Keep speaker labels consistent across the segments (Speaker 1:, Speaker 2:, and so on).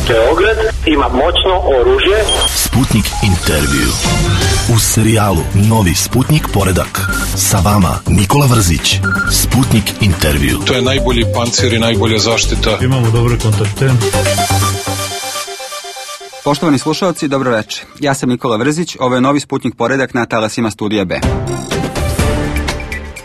Speaker 1: Beograd ima moćno oružje.
Speaker 2: Sputnik intervju. U serijalu Novi Sputnik poredak. Sa vama Nikola Vrzić. Sputnik intervju.
Speaker 3: To je najbolji pancir i najbolja zaštita.
Speaker 4: Imamo dobre kontakte.
Speaker 5: Poštovani slušalci, dobro večer. Ja sam Nikola Vrzić, ovo je Novi Sputnik poredak na talasima Studija B.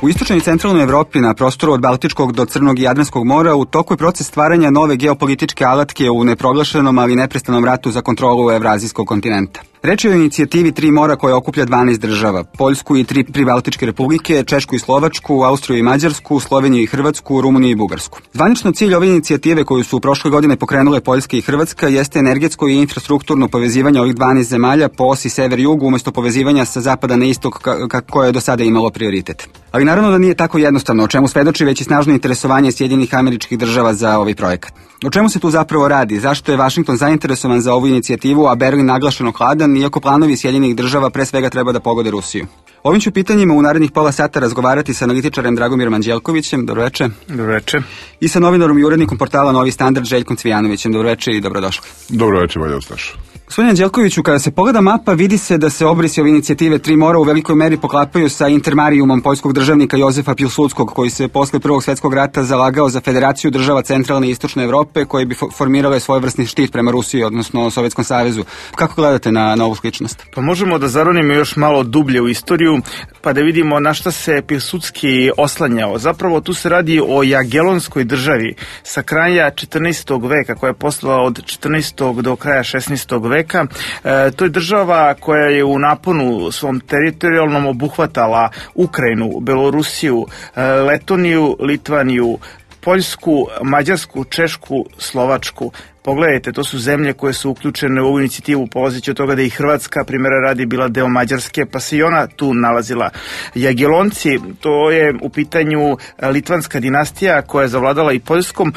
Speaker 5: U istočnoj i centralnoj Evropi, na prostoru od Baltičkog do Crnog i Jadranskog mora, u toku je proces stvaranja nove geopolitičke alatke u neproglašenom, ali neprestanom ratu za kontrolu Evrazijskog kontinenta. Reč je o inicijativi Tri mora koja okuplja 12 država, Poljsku i tri pribaltičke republike, Češku i Slovačku, Austriju i Mađarsku, Sloveniju i Hrvatsku, Rumuniju i Bugarsku. Zvanično cilj ove inicijative koju su prošle godine pokrenule Poljska i Hrvatska jeste energetsko i infrastrukturno povezivanje ovih 12 zemalja po osi sever-jug umesto povezivanja sa zapada na istok koje je do sada imalo prioritet. Ali naravno da nije tako jednostavno, o čemu svedoči već i snažno interesovanje Sjedinjenih Američkih Država za ovaj projekat. O čemu se tu zapravo radi? Zašto je Vašington zainteresovan za ovu inicijativu, a Berlin naglašeno hladan, iako planovi Sjedinjenih Država pre svega treba da pogode Rusiju? Ovim ću pitanjima u narednih pola sata razgovarati sa analitičarem Dragomirom Anđelkovićem. Dobro večer.
Speaker 6: Dobro večer.
Speaker 5: I sa novinarom i urednikom portala Novi Standard Željkom Cvijanovićem. Dobro večer i dobrodošli.
Speaker 7: Dobro večer, Valja Ustaš.
Speaker 5: Gospodine Anđelkoviću, kada se pogleda mapa, vidi se da se obrisi ove inicijative Tri mora u velikoj meri poklapaju sa intermarijumom poljskog državnika Jozefa Pilsudskog, koji se posle Prvog svjetskog rata zalagao za federaciju država centralne i istočne Evrope, koje bi formirale svojevrsni štit prema Rusiji, odnosno Sovjetskom savezu. Kako gledate na ovu sličnost?
Speaker 6: Pa možemo da zaronimo još malo dublje u istoriju, pa da vidimo na šta se Pilsudski oslanjao. Zapravo tu se radi o Jagelonskoj državi sa kraja 14. veka, koja je postojala od 14. do kraja 16. veka. To je država koja je u naponu svom teritorijalnom obuhvatala Ukrajinu, Belorusiju, Letoniju, Litvaniju, Poljsku, Mađarsku, Češku, Slovačku. Pogledajte, to su zemlje koje su uključene u ovu inicijativu, polazeći od toga da i Hrvatska, primjera radi, bila deo Mađarske, pa se i ona tu nalazila. Jagelonci, to je u pitanju litvanska dinastija koja je zavladala i Poljskom,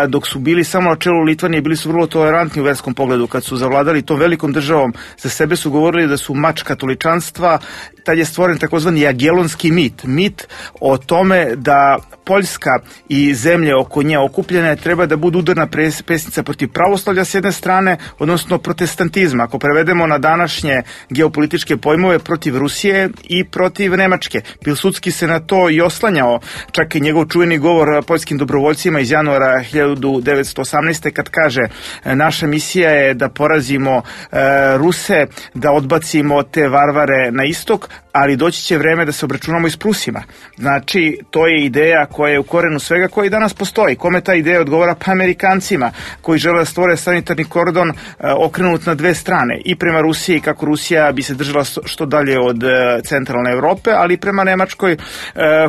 Speaker 6: dok su bili samo na čelu Litvanije, bili su vrlo tolerantni u verskom pogledu. Kad su zavladali tom velikom državom, za sebe su govorili da su mač katoličanstva. Tad je stvoren takozvani jagelonski mit o tome da Poljska i zemlje oko nje okupljene treba da budu udarna pesnica protiv pravoslavlja s jedne strane, odnosno protestantizma. Ako prevedemo na današnje geopolitičke pojmove, protiv Rusije i protiv Nemačke. Pilsudski se na to i oslanjao, čak i njegov čuveni govor poljskim dobrovoljcima iz januara 1918. kad kaže: naša misija je da porazimo Ruse, da odbacimo te varvare na istok, ali doći će vreme da se obračunamo i s Prusima. Znači, to je ideja koja je u korenu svega, koja i danas postoji. Kome ta ideja odgovara? Pa Amerikancima, koji žele da stvore sanitarni kordon okrenut na dve strane. I prema Rusiji, kako Rusija bi se držala što dalje od centralne Evrope, ali i prema Nemačkoj,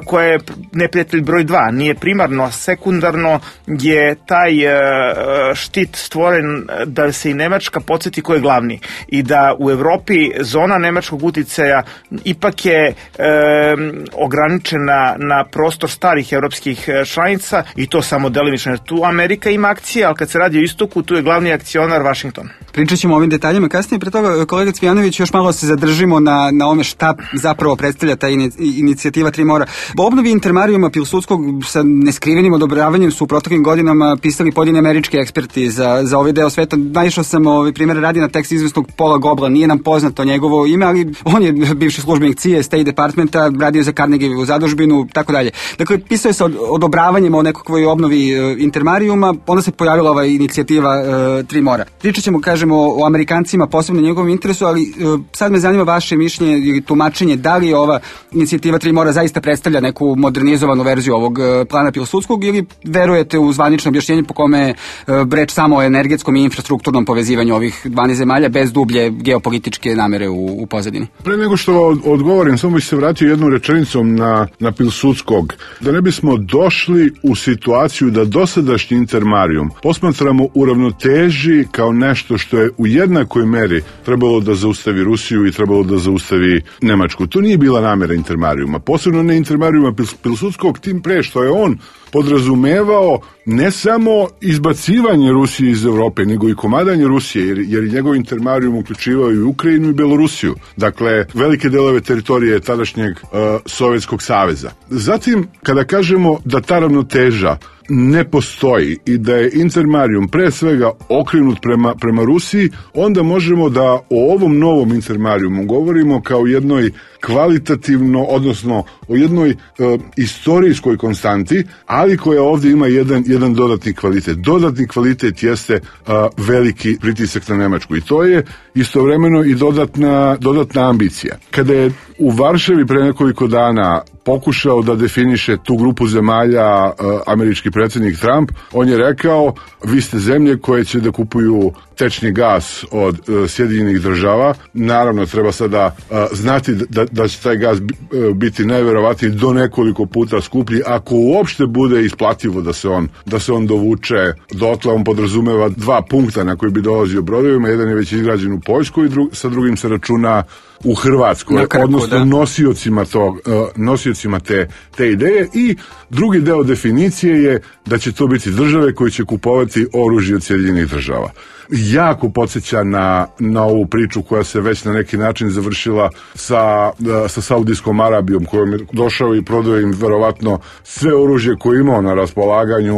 Speaker 6: koja je neprijatelj broj 2. Nije primarno, a sekundarno je taj štit stvoren da se i Nemačka podsjeti ko je glavni. I da u Evropi zona nemačkog uticaja ipak je ograničena na prostor starih evropskih članica, i to samo delimično. Tu Amerika ima akcije, ali kad se radi o istoku, tu je glavni akcionar Vašington.
Speaker 5: Pričat ćemo o ovim detaljima kasnije. Pre toga, kolega Cvijanović, još malo se zadržimo na ome šta zapravo predstavlja ta inicijativa Tri mora. O obnovi intermarijuma Pilsudskog sa neskrivenim odobravanjem su u proteklim godinama pisali pojedini američki eksperti za ovaj deo sveta. Naišao sam primjer radi na tekst izvesnog Paula Gobla, nije nam poznato njegovo ime, ali on je bivši službenik CIA, State Departmenta, radio za Carnegie u zadužbinu, tako dalje. Dakle, pisao je sa odobravanjem o nekakvoj obnovi intermarijuma, onda se pojavila ova inicijativa Tri mora. Pričat ćemo, kažemo, o Amerikancima, posebno njegovom interesu, ali sad me zanima vaše mišljenje ili tumačenje, da li ova inicijativa Tri mora zaista predstavlja neku modernizovanu verziju ovog plana Pilsudskog, ili verujete u zvanično objašnjenje po kome je reč samo o energetskom i infrastrukturnom povezivanju ovih 12 zemalja bez dublje geopolitičke namere u pozadini?
Speaker 7: Pre nego što odgovorim, samo bih se vratio jednom rečenicom na Pilsudskog. Da ne bismo došli u situaciju da dosadašnji intermarijum posmatramo u ravnoteži kao nešto što je u jednakoj meri trebalo da zaustavi Rusiju i trebalo da zaustavi Nemačku. To nije bila namera intermarijuma, posebno ne intermarijuma Pilsudskog, tim pre što je on podrazumevao ne samo izbacivanje Rusije iz Evrope, nego i komadanje Rusije, jer njegov intermarijum uključivao i Ukrajinu i Belorusiju. Dakle, velike delove teritorije tadašnjeg Sovjetskog saveza. Zatim, kada kažemo da ta ravnoteža ne postoji i da je Intermarium pre svega okrenut prema Rusiji, onda možemo da o ovom novom Intermariumu govorimo kao jednoj kvalitativno, odnosno o jednoj istorijskoj konstanti, ali koja ovdje ima jedan dodatni kvalitet. Dodatni kvalitet jeste veliki pritisak na Nemačku i to je istovremeno i dodatna ambicija. Kada je u Varšavi pre nekoliko dana pokušao da definiše tu grupu zemalja američki predsjednik Trump, on je rekao, vi ste zemlje koje će da kupuju tečni gas od Sjedinjenih Država. Naravno, treba sada znati da će taj gas biti najverovatniji do nekoliko puta skuplji, ako uopšte bude isplativo da se on dovuče dotle. On podrazumeva 2 punkta na koji bi dolazio brodovima, jedan je već izgrađen u Poljskoj i sa drugim se računa u Hrvatskoj, odnosno nosiocima te ideje. I drugi deo definicije je da će to biti države koje će kupovati oružje od Sjedinjenih Država. Jako podsjeća na ovu priču koja se već na neki način završila sa Saudijskom Arabijom, kojom je došao i prodao im verovatno sve oružje koje imao na raspolaganju,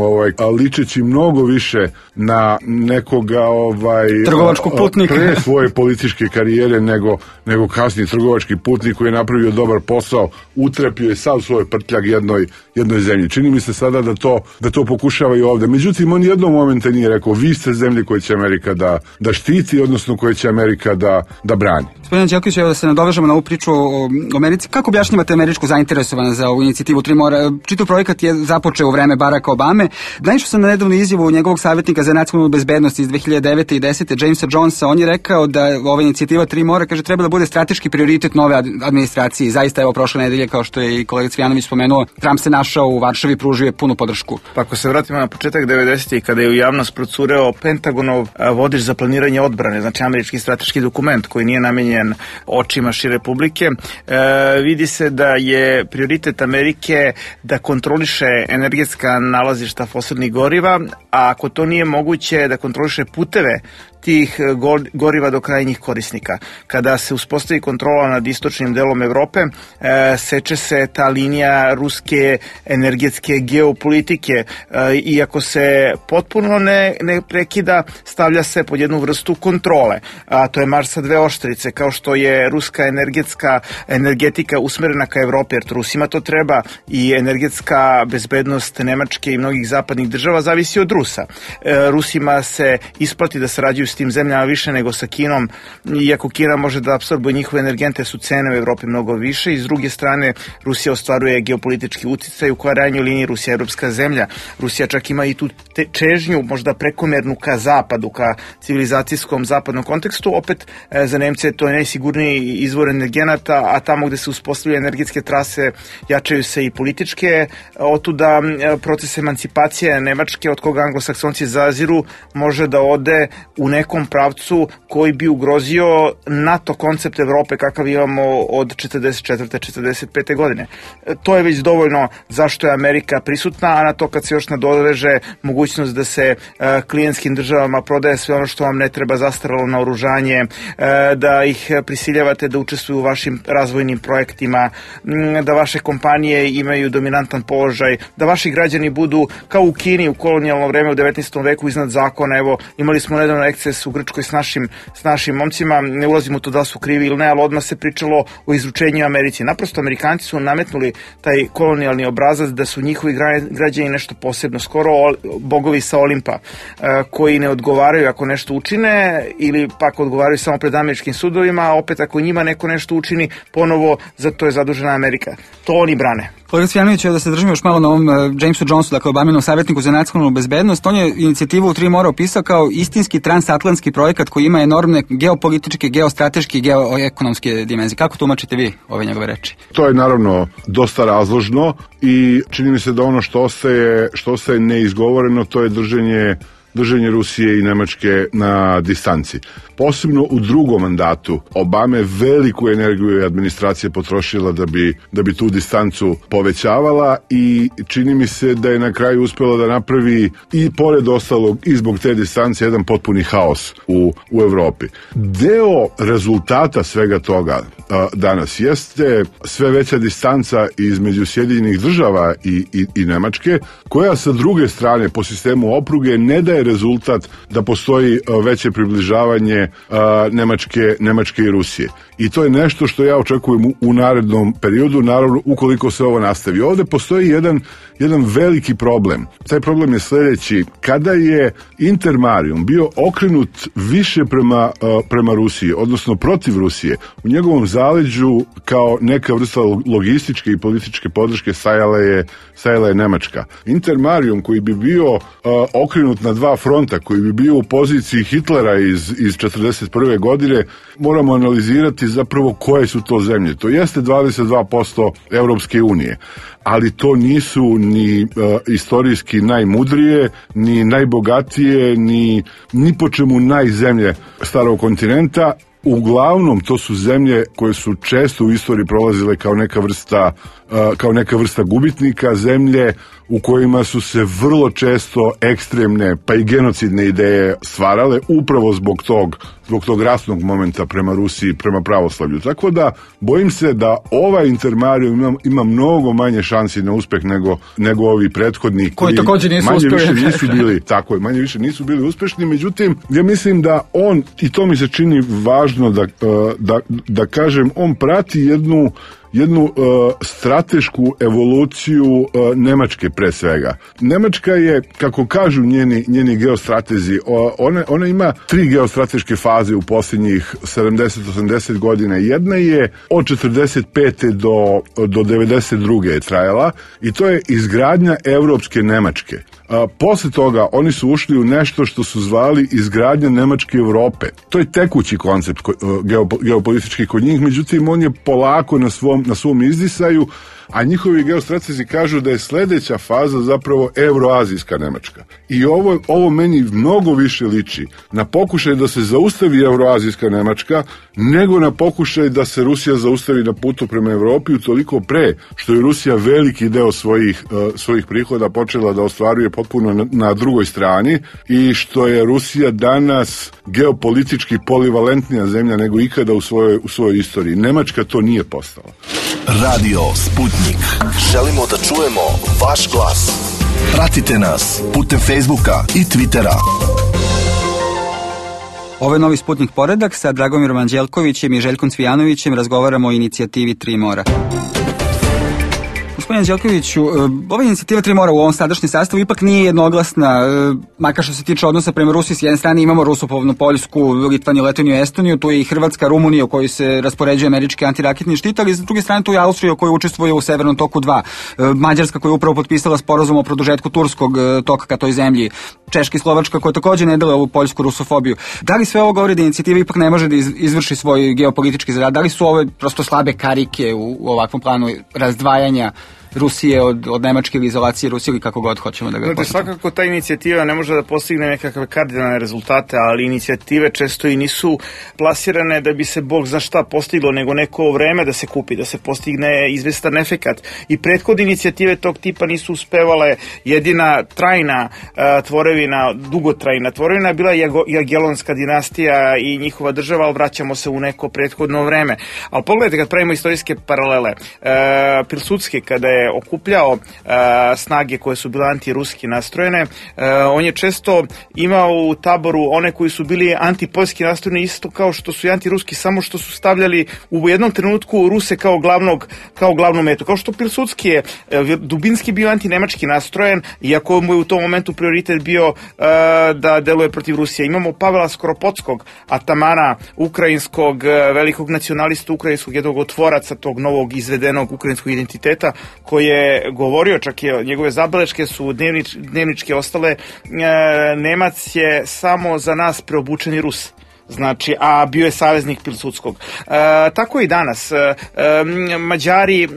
Speaker 7: ličeći mnogo više na nekoga
Speaker 5: trgovačkog putnika
Speaker 7: pre svoje političke karijere nego kasniji trgovački putnik koji je napravio dobar posao, utrepio je sav svoj prtljag jednoj zemlji. Čini mi se sada da to pokušava i ovdje. Međutim, on jednog momenta nije rekao, vi ste zemlje koje će Amerika da štiti, odnosno koje će Amerika da brani.
Speaker 5: Gospodin Anđelković, evo da se nadovežemo na ovu priču o Americi. Kako objašnjavate američku zainteresovanost za ovu inicijativu Tri mora? Čitav projekat je započeo u vreme Baracka Obame. Naišao sam na nedavnu izjavu njegovog savjetnika za nacionalnu bezbednost iz 2009. i 10. Jamesa Jonesa. On je rekao da ova inicijativa Tri mora, kaže, treba da bude strateški prioritet nove administracije. Zaista, evo, prošle nedelje, kao što je i kolega Cvijanović spomenuo, Trump se našao u Varšavi, pružio je punu podršku.
Speaker 6: Pa ako se vratimo na početak 90. kada je u javnost procureo Pentagonov vodič za planiranje odbrane, znači američki strateški dokument koji nije namenjen očima šire publike, vidi se da je prioritet Amerike da kontroliše energetska nalazišta fosilnih goriva, a ako to nije moguće, da kontroliše puteve tih goriva do krajnjih korisnika. Kada se uspostavi kontrola nad istočnim delom Evrope, seče se ta linija ruske energetske geopolitike i ako se potpuno ne prekida, stavlja se pod jednu vrstu kontrole. A to je marš sa 2 oštrice, kao što je ruska energetika usmerena ka Evropi, jer Rusima to treba i energetska bezbednost Nemačke i mnogih zapadnih država zavisi od Rusa. Rusima se isplati da sarađuju s tim zemljama više nego sa Kinom, iako Kina može da apsorbuje njihove energente, su cene u Evropi mnogo više i s druge strane Rusija ostvaruje geopolitički uticaj, u krajnjoj liniji Rusija je evropska zemlja. Rusija čak ima i tu čežnju, možda prekomernu ka zapadu, ka civilizacijskom zapadnom kontekstu. Opet za Nemce to je najsigurniji izvor energenata, a tamo gde se uspostavljaju energetske trase jačaju se i političke. Otuda proces emancipacije Nemačke, od koga anglosaksonci zaziru, može da ode u nekom pravcu koji bi ugrozio NATO koncept Evrope kakav imamo od 44. 45. godine. To je već dovoljno zašto je Amerika prisutna, a na to kad se još nadoveže mogućnost da se klijentskim državama prodaje sve ono što vam ne treba, zastaralo naoružanje, da ih prisiljavate da učestvuju u vašim razvojnim projektima, da vaše kompanije imaju dominantan položaj, da vaši građani budu kao u Kini u kolonijalno vreme u 19. veku iznad zakona. Evo, imali smo nedavno eksces u Grčkoj s našim momcima, ne ulazimo u to da su krivi ili ne, ali odmah se pričalo o izručenju Americi. Naprosto Amerikanci su nametnuli taj kolonijalni obrazac da su njihovi građani nešto posebno, skoro bogovi sa Olimpa, koji ne odgovaraju ako nešto učine ili pak odgovaraju samo pred američkim sudovima, a opet ako njima neko nešto učini, ponovo za to je zadužena Amerika. To oni brane.
Speaker 5: Kolega Cvijanović, da se držimo još malo na ovom Jamesu Jonesu, dakle Obaminom savjetniku za nacionalnu bezbednost. On je inicijativu Tri mora opisao kao istinski transatlantski projekat koji ima enormne geopolitičke, geostrateške i geoekonomske dimenzije. Kako tumačite vi ove njegove reči?
Speaker 7: To je naravno dosta razložno i čini mi se da ono što ostaje neizgovoreno, to je držanje Rusije i Nemačke na distanci. Posebno u drugom mandatu Obame veliku energiju je administracija potrošila da bi tu distancu povećavala i čini mi se da je na kraju uspela da napravi i pored ostalog i zbog te distance jedan potpuni haos u Evropi. Deo rezultata svega toga danas jeste sve veća distanca između Sjedinjenih Država i Nemačke, koja sa druge strane po sistemu opruge ne daje rezultat da postoji veće približavanje Nemačke i Rusije. I to je nešto što ja očekujem u narednom periodu, naravno ukoliko se ovo nastavi. Ovde postoji jedan veliki problem. Taj problem je sledeći. Kada je Intermarium bio okrenut više prema Rusiji, odnosno protiv Rusije, u njegovom zaleđu kao neka vrsta logističke i političke podrške stajala je Nemačka. Intermarium koji bi bio okrenut na dva fronta, koji bi bio u poziciji Hitlera iz 1941. godine, moramo analizirati zapravo koje su to zemlje. To jeste 22% Evropske unije, ali to nisu ni istorijski najmudrije, ni najbogatije, ni po čemu najzemlje starog kontinenta. Uglavnom, to su zemlje koje su često u istoriji prolazile kao neka vrsta gubitnika, zemlje u kojima su se vrlo često ekstremne pa i genocidne ideje stvarale upravo zbog tog rasnog momenta prema Rusiji, prema pravoslavlju. Tako da bojim se da ovaj Intermarium ima mnogo manje šansi na uspeh nego ovi prethodni
Speaker 5: koji također nisu
Speaker 7: manje više nisu bili uspešni. Međutim, ja mislim da on, i to mi se čini važno da kažem, on prati jednu stratešku evoluciju Nemačke pre svega. Nemačka je, kako kažu njeni geostratezi, ona ima 3 geostrateške faze u posljednjih 70-80 godina. Jedna je od 45. do 92. je trajala i to je izgradnja evropske Nemačke. Posle toga oni su ušli u nešto što su zvali izgradnja Nemačke Evrope. To je tekući koncept geopolitički kod njih, međutim on je polako na svom izdisaju, a njihovi geostratezi kažu da je sledeća faza zapravo evroazijska Nemačka. I ovo meni mnogo više liči na pokušaj da se zaustavi evroazijska Nemačka nego na pokušaj da se Rusija zaustavi na putu prema Evropi, utoliko pre što je Rusija veliki deo svojih prihoda počela da ostvaruje potpuno na drugoj strani i što je Rusija danas geopolitički polivalentnija zemlja nego ikada u svojoj istoriji. Nemačka to nije postala.
Speaker 2: Radio Sputnik. Želimo da čujemo vaš glas. Pratite nas putem Facebooka i Twittera.
Speaker 5: Ovo je Novi Sputnik Poredak. Sa Dragomirom Anđelkovićem i Željkom Cvijanovićem razgovaramo o inicijativi Tri mora. Gospodin Anđelkoviću, ova inicijativa Tri mora u ovom sadašnjem sastavu ipak nije jednoglasna, makar što se tiče odnosa prema Rusiji. S jedne strane imamo Rusopovnu Poljsku, Litvaniju, Letoniju, Estoniju, tu je i Hrvatska, Rumunija u kojoj se raspoređuje američki antiraketni štit, ali s druge strane tu je Austrija koja učestvuje u Severnom toku 2, Mađarska koja je upravo potpisala sporazum o produžetku turskog toka ka toj zemlji, Češka i Slovačka koja također ne dele ovu poljsku rusofobiju. Da li sve ovo govori da inicijativa ipak ne može da izvrši svoj geopolitički zadatak? Da li su ove prosto slabe karike u ovakvom planu razdvajanja Rusije od Nemačke ili izolacije Rusije ili kako god hoćemo da ga posjetimo?
Speaker 6: Svakako ta inicijativa ne može da postigne nekakve kardinalne rezultate, ali inicijative često i nisu plasirane da bi se Bog zna šta postiglo, nego neko vreme da se kupi, da se postigne izvestan efekat. I prethodne inicijative tog tipa nisu uspevale. Jedina trajna tvorevina, dugotrajna tvorevina bila Jagelonska dinastija i njihova država, ali vraćamo se u neko prethodno vreme. Ali pogledajte, kad pravimo istorijske paralele, Pilsudski kada je okupljao snage koje su bile antiruski nastrojene, on je često imao u taboru one koji su bili antipoljski nastrojeni isto kao što su i antiruski, samo što su stavljali u jednom trenutku Ruse kao glavnu metu. Kao što Pilsudski je dubinski bio antinemački nastrojen, iako mu je u tom momentu prioritet bio da deluje protiv Rusije. Imamo Pavela Skoropodskog, atamana ukrajinskog, velikog nacionalista ukrajinskog, jednog od tvoraca tog novog izvedenog ukrajinskog identiteta, koji je govorio, čak je njegove zabeleške su dnevničke ostale, Nemac je samo za nas preobučeni Rus. znači, a bio je saveznik Pilsudskog. Tako i danas. Mađari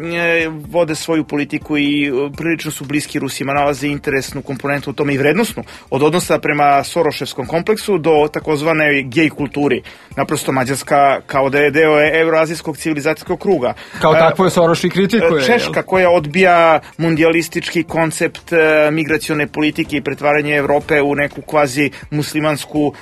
Speaker 6: vode svoju politiku i prilično su bliski Rusima, nalaze interesnu komponentu u tome i vrednosnu, od odnosa prema Soroševskom kompleksu do takozvane gej kulturi. Naprosto Mađarska kao da je deo evroazijskog civilizacijskog kruga.
Speaker 5: Kao takvo je Soroš i kritikuje.
Speaker 6: Češka koja odbija mundijalistički koncept migracione politike i pretvaranje Evrope u neku kvazi muslimansku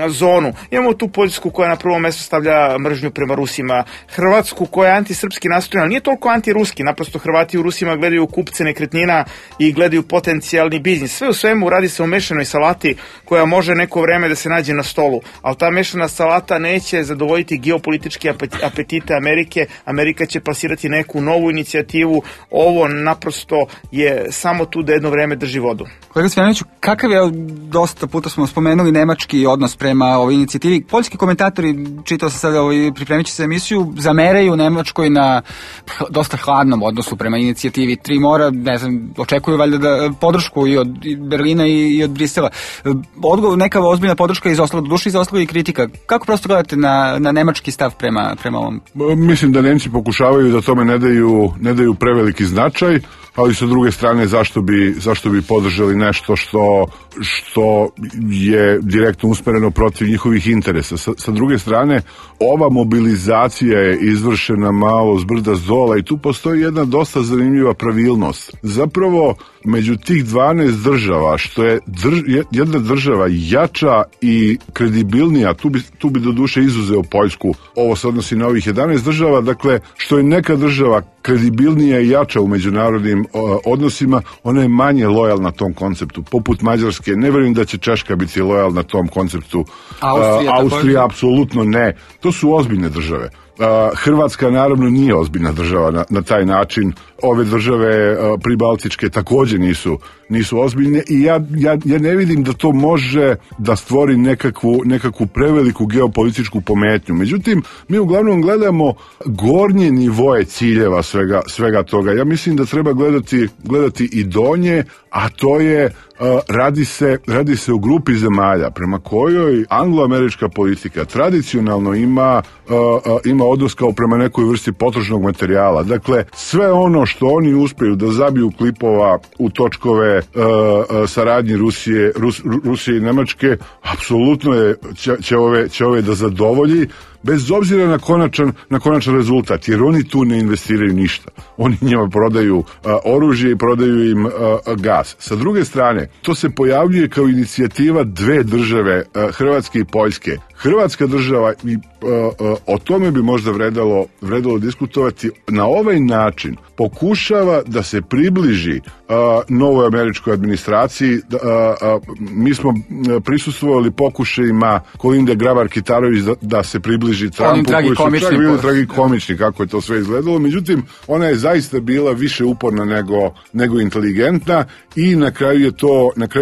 Speaker 6: zonu. Imamo tu Poljsku koja na prvo mesto stavlja mržnju prema Rusima, Hrvatsku koja je antisrpski nastrojena, nije toliko antiruski, naprosto Hrvati u Rusima gledaju kupce nekretnina i gledaju potencijalni biznis. Sve u svemu radi se o mešanoj salati koja može neko vreme da se nađe na stolu, ali ta mešana salata neće zadovoljiti geopolitičke apetite Amerike. Amerika će plasirati neku novu inicijativu, ovo naprosto je samo tu da jedno vreme drži vodu.
Speaker 5: Kolega Cvijanoviću, kakav je, dosta puta smo spomenuli nemački odnos prema ovoj inicijativi. Poljski komentatori, čitao sam sada pripremit će se emisiju, zameraju Nemačkoj na dosta hladnom odnosu prema inicijativi Tri mora, ne znam, očekuju valjda da podršku i od Berlina i od Brisela. Neka ozbiljna podrška izostala, do duše izostala i kritika. Kako prosto gledate na nemački stav prema ovom?
Speaker 7: Mislim da Nemci pokušavaju da tome ne daju preveliki značaj, ali sa druge strane zašto bi podržali nešto što je direktno usmereno protiv njihovih interesa. Sa druge strane, ova mobilizacija je izvršena malo zbrda zdola i tu postoji jedna dosta zanimljiva pravilnost. Zapravo, među tih 12 država, što je jedna država jača i kredibilnija, tu bi do duše izuzeo Poljsku, ovo se odnosi na ovih 11 država, dakle, što je neka država kredibilnija i jača u međunarodnim odnosima, ona je manje lojalna tom konceptu. Poput Mađarske, ne vjerujem da će Češka biti lojalna tom konceptu. Austrija apsolutno ne. To su ozbiljne države. Hrvatska naravno nije ozbiljna država na taj način. Ove države pribaltičke također nisu ozbiljne i ja ne vidim da to može da stvori nekakvu preveliku geopolitičku pometnju. Međutim, mi uglavnom gledamo gornje nivoje ciljeva svega toga. Ja mislim da treba gledati i donje, a to je radi se o grupi zemalja prema kojoj angloamerička politika tradicionalno ima odnos kao prema nekoj vrsti potrošnog materijala. Dakle, sve ono što oni uspiju da zabiju klipova u točkove saradnji Rusije i Nemačke, apsolutno će ove da zadovolji, bez obzira na konačan rezultat, jer oni tu ne investiraju ništa. Oni njima prodaju oružje i prodaju im gas. Sa druge strane, to se pojavljuje kao inicijativa dve države, Hrvatske i Poljske. Hrvatska država, i o tome bi možda vredalo diskutovati, na ovaj način pokušava da se približi novoj američkoj administraciji. Mi smo prisustvovali pokušajima Kolinde Grabar-Kitarović da se približi Trumpu, koji su čak bili tragikomični kako je to sve izgledalo. Međutim, ona je zaista bila više uporna nego inteligentna i na kraju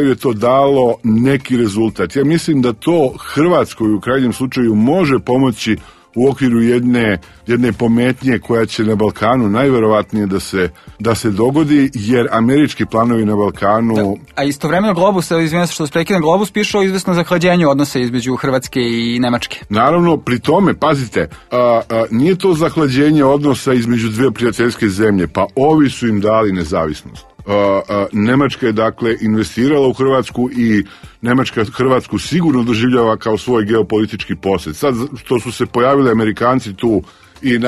Speaker 7: je to dalo neki rezultat. Ja mislim da to Hrvatskoj u krajnjem slučaju može pomoći u okviru jedne pometnje koja će na Balkanu najverovatnije da se dogodi, jer američki planovi na Balkanu... Da,
Speaker 5: a istovremeno Globus, izvinjam se što se prekidam, Globus piše o izvesno zahlađenju odnosa između Hrvatske i Nemačke.
Speaker 7: Naravno, pri tome, pazite, nije to zahlađenje odnosa između dvije prijateljske zemlje, pa ovi su im dali nezavisnost. Nemačka je dakle investirala u Hrvatsku i Nemačka Hrvatsku sigurno doživljava kao svoj geopolitički posjed. Sad što su se pojavili Amerikanci tu i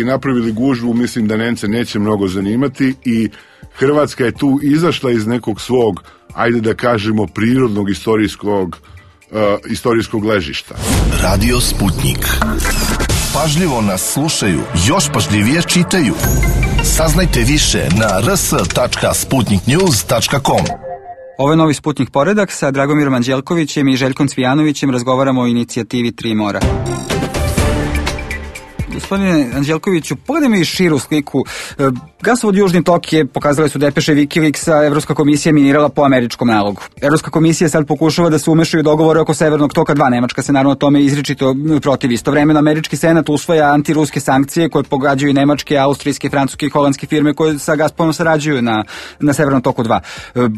Speaker 7: napravili gužvu, mislim da Nemce neće mnogo zanimati i Hrvatska je tu izašla iz nekog svog, ajde da kažemo, prirodnog istorijskog ležišta.
Speaker 2: Radio Sputnik. Pažljivo nas slušaju, još pažljivije čitaju. Saznajte više na rs.sputniknews.com.
Speaker 5: Ovo je novi Sputnik poredak. Sa Dragomirom Anđelkovićem i Željkom Cvijanovićem razgovaramo o inicijativi Tri mora. Gospodine Anđelkoviću, pogledajmo i širu sliku. Gasovod Južni tok je, pokazali su depeše Wikileaksa, Evropska komisija minirala po američkom nalogu. Evropska komisija sad pokušava da se umešaju dogovore oko Severnog toka 2. Nemačka se naravno tome izričito protivi. Istovremeno američki senat usvaja antiruske sankcije koje pogađaju nemačke, austrijske, francuske i holandske firme koje sa Gazpromom sarađuju na Severnom toku 2.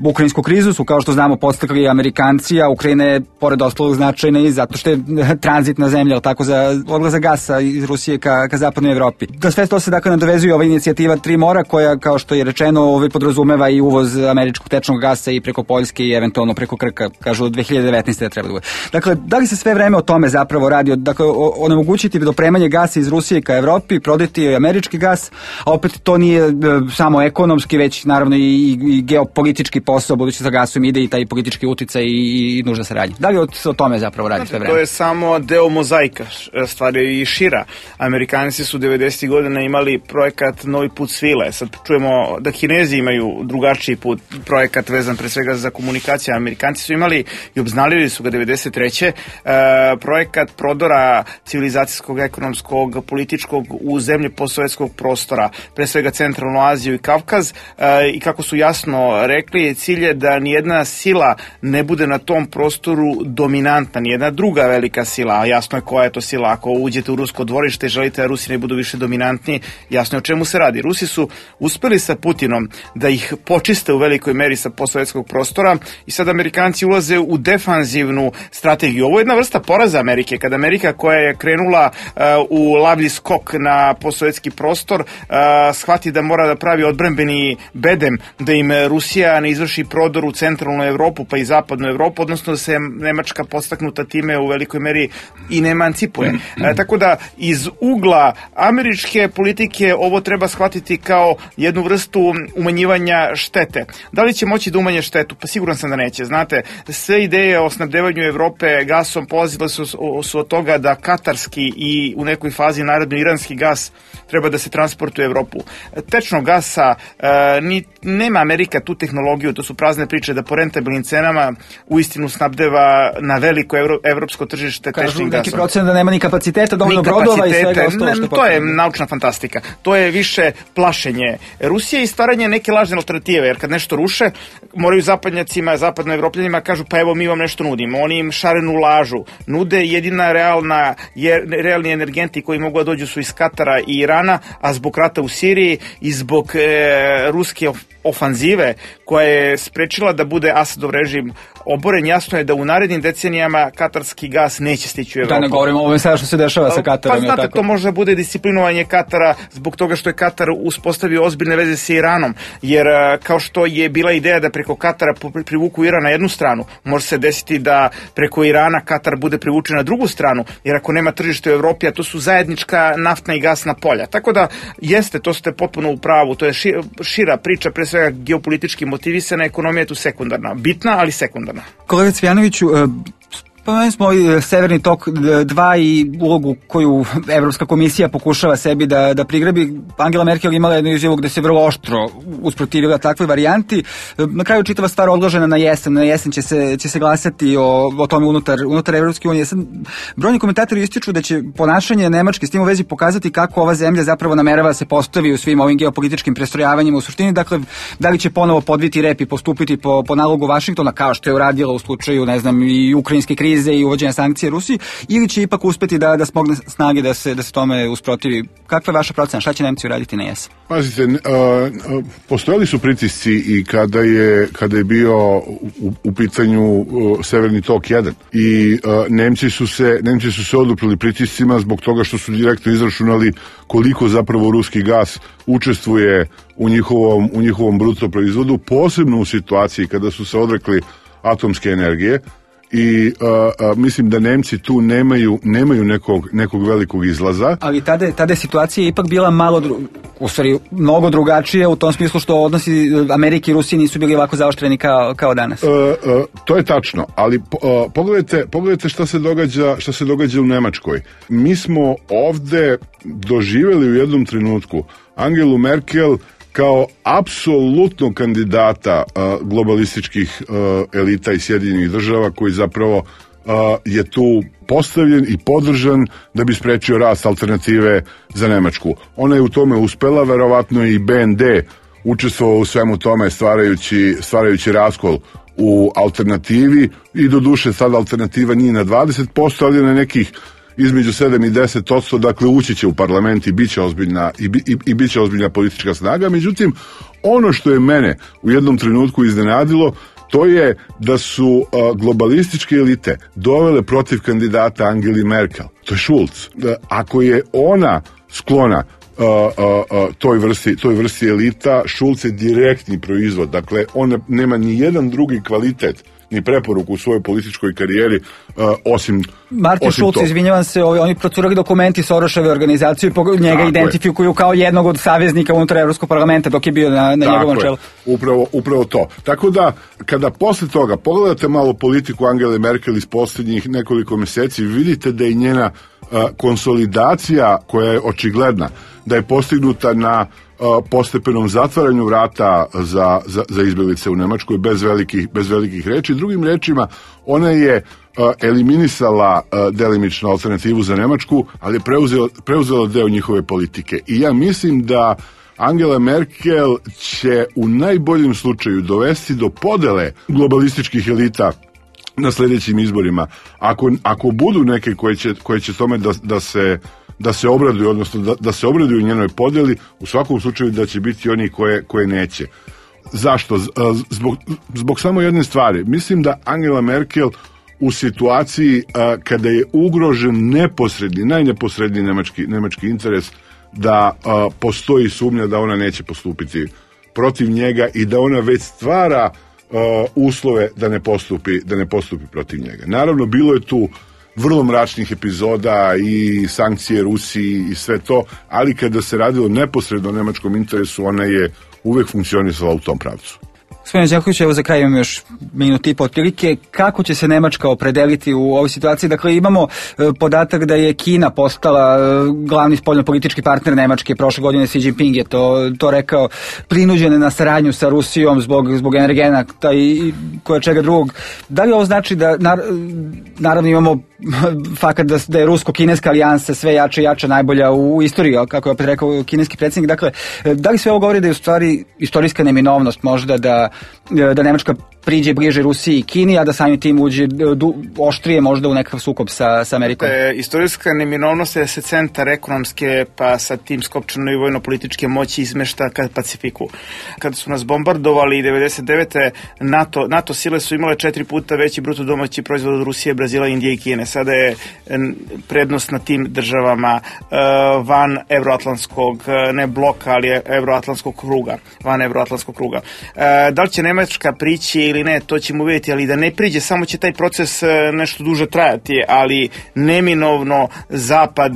Speaker 5: Ukrajinsku krizu su, kao što znamo, podstakli Amerikanci, a Ukrajina je pored ostalog značajna i zato što je tranzitna zemlja, tako za odlazak gasa iz Rusije ka zapadnoj Evropi. Da sve to se dakle nadovezuje ova inicijativa Tri mora koja, kao što je rečeno, podrazumeva i uvoz američkog tečnog gasa i preko Poljske i eventualno preko Krka, kažu od 2019. da treba da bude. Dakle, da li se sve vreme o tome zapravo radi? Dakle, onemogućiti dopremanje gasa iz Rusije ka Evropi, prodati američki gas, a opet to nije samo ekonomski, već naravno i geopolitički posao, budući sa gasom ide i taj politički uticaj i nužda saradnja. Da li o tome zapravo radi sve vreme?
Speaker 6: To je samo deo mozaika, stvar je i šira. Amerikanci su 90. godina imali projekat Novi put svile. Sad čujemo da Kinezi imaju drugačiji put, projekat vezan pre svega za komunikacije. Amerikanci su imali i obznalili su ga 93. Projekat prodora civilizacijskog, ekonomskog, političkog u zemlje postsovjetskog prostora, pre svega Centralnu Aziju i Kavkaz, i kako su jasno rekli, cilj je da nijedna sila ne bude na tom prostoru dominantna, nijedna druga velika sila, a jasno je koja je to sila. Ako uđete u rusko dvorište i želite da Rusi ne budu više dominantni, jasno je o čemu se radi. Rusi su uspeli sa Putinom da ih počiste u velikoj meri sa postsovjetskog prostora i sad Amerikanci ulaze u defanzivnu strategiju. Ovo je jedna vrsta poraza Amerike, kada Amerika koja je krenula u lavlji skok na postsovjetski prostor shvati da mora da pravi odbrambeni bedem, da im Rusija ne izvrši prodor u centralnu Evropu pa i zapadnu Evropu, odnosno da se Nemačka podstaknuta time u velikoj meri i ne emancipuje. Tako da iz ugla američke politike ovo treba shvatiti kao jednu vrstu umanjivanja štete. Da li će moći da umanje štetu? Pa siguran sam da neće. Znate, sve ideje o snabdevanju Evrope gasom polazile su od toga da katarski i u nekoj fazi naredno iranski gas treba da se transportuje u Evropu. Tečnog gasa nema Amerika tu tehnologiju, to su prazne priče da po rentabilnim cenama uistinu snabdeva na veliko evropsko tržište tečnim gasom.
Speaker 5: Kažu neki procent da nema ni kapaciteta, dovoljno brodova i svega ostalo što je
Speaker 6: to je naučna fantastika. To je više plašenje Rusije i stvaranje neke lažne alternative, jer kad nešto ruše, moraju zapadnjacima, zapadnoevropljanima kažu pa evo mi vam nešto nudimo. Oni im šarenu lažu nude, jedina realni energenti koji mogu da dođu su iz Katara i Irana, a zbog rata u Siriji i zbog ruske ofanzive koja je sprečila da bude Asadov režim oboren, jasno je da u narednim decenijama katarski gas neće stići u Evropu.
Speaker 5: Da ne govorimo o ovome sada što se dešava sa Katarom.
Speaker 6: Pa znate, to može bude disciplinovanje Katara zbog toga što je Katar uspostavio ozbiljne veze sa Iranom, jer kao što je bila ideja da preko Katara privuku Iran na jednu stranu, može se desiti da preko Irana Katar bude privučen na drugu stranu, jer ako nema tržište u Evropi, a to su zajednička naftna i gasna polja. Tako da jeste, to ste potpuno u pravu, to je šira priča, pre svega geopolitički motivisana, ekonomija je tu sekundarna. Bitna, ali sekundarna.
Speaker 5: Kolega Cvijanoviću, spomenuli smo Severni tok 2 i ulogu koju Evropska komisija pokušava sebi da prigrabi. Angela Merkel imala jednu izjavu gde se vrlo oštro usprotivila takvoj varijanti. Na kraju čitava stvar odložena na jesen. Na jesen će se glasati o tome unutar Evropske unije. Brojni komentatori ističu da će ponašanje Nemačke s tim u vezi pokazati kako ova zemlja zapravo namerava da se postavi u svim ovim geopolitičkim prestrojavanjima u suštini. Dakle, da li će ponovo podviti rep i postupiti po nalogu Vašingtona, kao što je uradila u slučaju, ne znam, i ukrajinske krize i uvođenja sankcije Rusiji, ili će ipak uspeti da smogne snage da se tome usprotivi? Kakva je vaša procena? Šta će Nemci uraditi na jesen?
Speaker 7: Pazite, postojali su pritisci i kada je bio u pitanju Severni tok 1 i Nemci su se oduprili pritiscima zbog toga što su direktno izračunali koliko zapravo ruski gas učestvuje u njihovom bruto proizvodu, posebno u situaciji kada su se odrekli atomske energije. I mislim da Nemci tu nemaju nekog velikog izlaza.
Speaker 5: Ali tada je situacija ipak bila mnogo drugačija u tom smislu što odnosi Amerike i Rusije nisu bili ovako zaoštreni kao danas.
Speaker 7: To je tačno, ali pogledajte šta se događa u Nemačkoj. Mi smo ovde doživjeli u jednom trenutku Angelu Merkel kao apsolutno kandidata globalističkih elita i Sjedinjenih država koji zapravo je tu postavljen i podržan da bi sprečio rast alternative za Nemačku. Ona je u tome uspela, verovatno i BND učestvovao u svemu tome stvarajući raskol u alternativi i doduše sad alternativa nije na 20%, ali na nekih između 7 i 10%, dakle ući će u parlament i bit će ozbiljna politička snaga. Međutim, ono što je mene u jednom trenutku iznenadilo, to je da su globalističke elite dovele protiv kandidata Angeli Merkel. To je Schulz. Ako je ona sklona toj vrsti elita, Schulz je direktni proizvod. Dakle, on nema ni jedan drugi kvalitet ni preporuku u svojoj političkoj karijeri osim
Speaker 5: Schulz, izvinjavam se, oni procurali dokumenti Soroševe organizacije i njega identifikuju kao jednog od saveznika unutar Evropskog parlamenta dok je bio na njegovom čelu.
Speaker 7: Upravo to. Tako da, kada posle toga pogledate malo politiku Angele Merkel iz posljednjih nekoliko mjeseci, vidite da je njena konsolidacija, koja je očigledna, da je postignuta na postepenom zatvaranju vrata za izbjeglice u Nemačkoj bez velikih reči. Drugim rečima, ona je eliminisala delimično alternativu za Nemačku, ali je preuzela deo njihove politike. I ja mislim da Angela Merkel će u najboljem slučaju dovesti do podele globalističkih elita na sljedećim izborima. Ako budu neke koje će tome da se obraduju, odnosno da se obraduju njenoj podjeli, u svakom slučaju da će biti oni koje neće. Zašto? Zbog samo jedne stvari. Mislim da Angela Merkel u situaciji kada je ugrožen najneposredniji nemački interes, da postoji sumnja da ona neće postupiti protiv njega i da ona već stvara uslove da ne postupi protiv njega. Naravno, bilo je tu vrlo mračnih epizoda i sankcije Rusiji i sve to, ali kada se radilo neposredno o nemačkom interesu, ona je uvek funkcionisala u tom pravcu.
Speaker 5: Gospodine Đaković, evo za kraj imam još minut i po otprilike. Kako će se Nemačka opredeliti u ovoj situaciji? Dakle, imamo podatak da je Kina postala glavni spoljnopolitički partner Nemačke. Prošle godine Xi Jinping je to rekao, prinuđene na saradnju sa Rusijom zbog energenata i koje čega drugog. Da li ovo znači da, naravno imamo fakat da je rusko-kineska alijansa sve jača i jača, najbolja u istoriji, kako je opet rekao kineski predsjednik. Dakle, da li sve ovo govori da je u stvari istorijska neminovnost možda da Nemačka priđe bliže Rusiji i Kini, a da samim tim uđe oštrije možda u nekakav sukob sa Amerikom?
Speaker 6: Istorijska neminovnost je da se centar ekonomske pa sa tim skopčano i vojno-političke moći izmešta ka Pacifiku. Kada su nas bombardovali 99. NATO sile su imale 4 puta veći bruto domaći proizvod od Rusije, Brazila, Indije i Kine. Sada je prednost na tim državama van evroatlantskog, ne bloka, ali evroatlantskog kruga, van evroatlantskog kruga. Da li će Nemačka prići ili ne, to ćemo vidjeti, ali da ne priđe, samo će taj proces nešto duže trajati, ali neminovno Zapad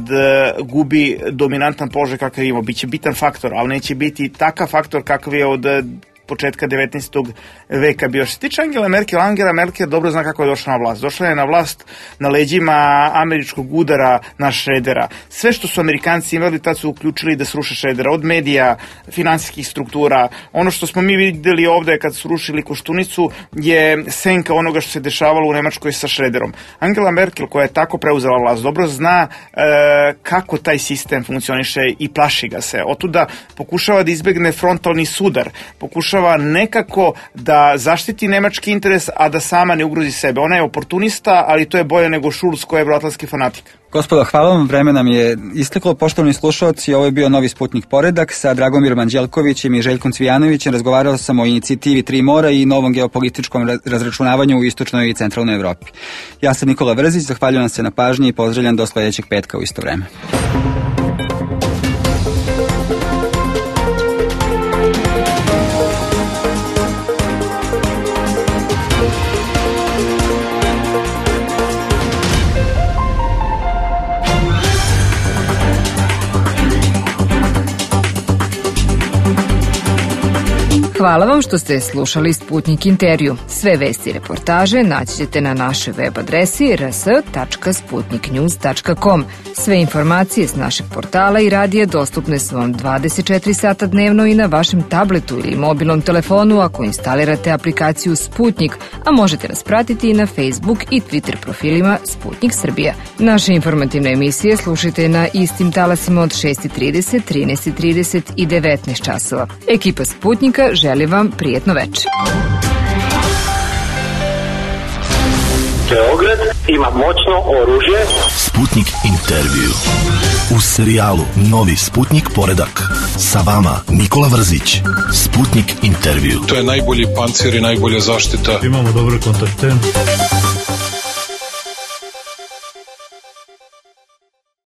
Speaker 6: gubi dominantan položaj kakav ima. Biće bitan faktor, ali neće biti takav faktor kakav je od početka 19. veka bio. Što se tiče Angela Merkel dobro zna kako je došla na vlast. Došla je na vlast na leđima američkog udara na Šredera. Sve što su Amerikanci imali, tad su uključili da sruše Šredera. Od medija, finansijskih struktura. Ono što smo mi vidjeli ovdje kad su rušili Koštunicu je senka onoga što se dešavalo u Nemačkoj sa Šrederom. Angela Merkel, koja je tako preuzela vlast, dobro zna kako taj sistem funkcioniše i plaši ga se. Otuda pokušava da izbegne frontalni sudar. Pokušava nekako da zaštiti nemački interes, a da sama ne ugrozi sebe. Ona je oportunista, ali to je bolje nego Schulz koji je evroatlantski fanatik.
Speaker 5: Gospodo, hvala vam, vreme nam je isteklo. Poštovani slušalci, ovo je bio Novi Sputnik Poredak sa Dragomirom Anđelkovićem i Željkom Cvijanovićem. Razgovarao sam o inicijativi Tri mora i novom geopolitičkom razračunavanju u istočnoj i centralnoj Evropi. Ja sam Nikola Vrzić, zahvaljujem se na pažnji i pozdravljam do sljedećeg petka u isto vreme.
Speaker 4: Hvala vam što ste slušali Sputnik intervju. Sve vesti i reportaže naći ćete na našoj web adresi rs.sputniknews.com. Sve informacije s našeg portala i radija dostupne su vam 24 sata dnevno i na vašem tabletu ili mobilnom telefonu ako instalirate aplikaciju Sputnik, a možete nas pratiti i na Facebook i Twitter profilima Sputnik Srbija. Naše informativne emisije slušajte na istim talasima od 6:30, 13:30 i 19 časova. Ekipa Sputnika želi vam prijetno večer.
Speaker 1: Beograd ima moćno oružje.
Speaker 2: Sputnik intervju. U serijalu Novi Sputnik poredak. Sa vama Nikola Vrzić. Sputnik intervju.
Speaker 3: To je najbolji pancir i najbolja zaštita.
Speaker 8: Imamo dobre kontakte.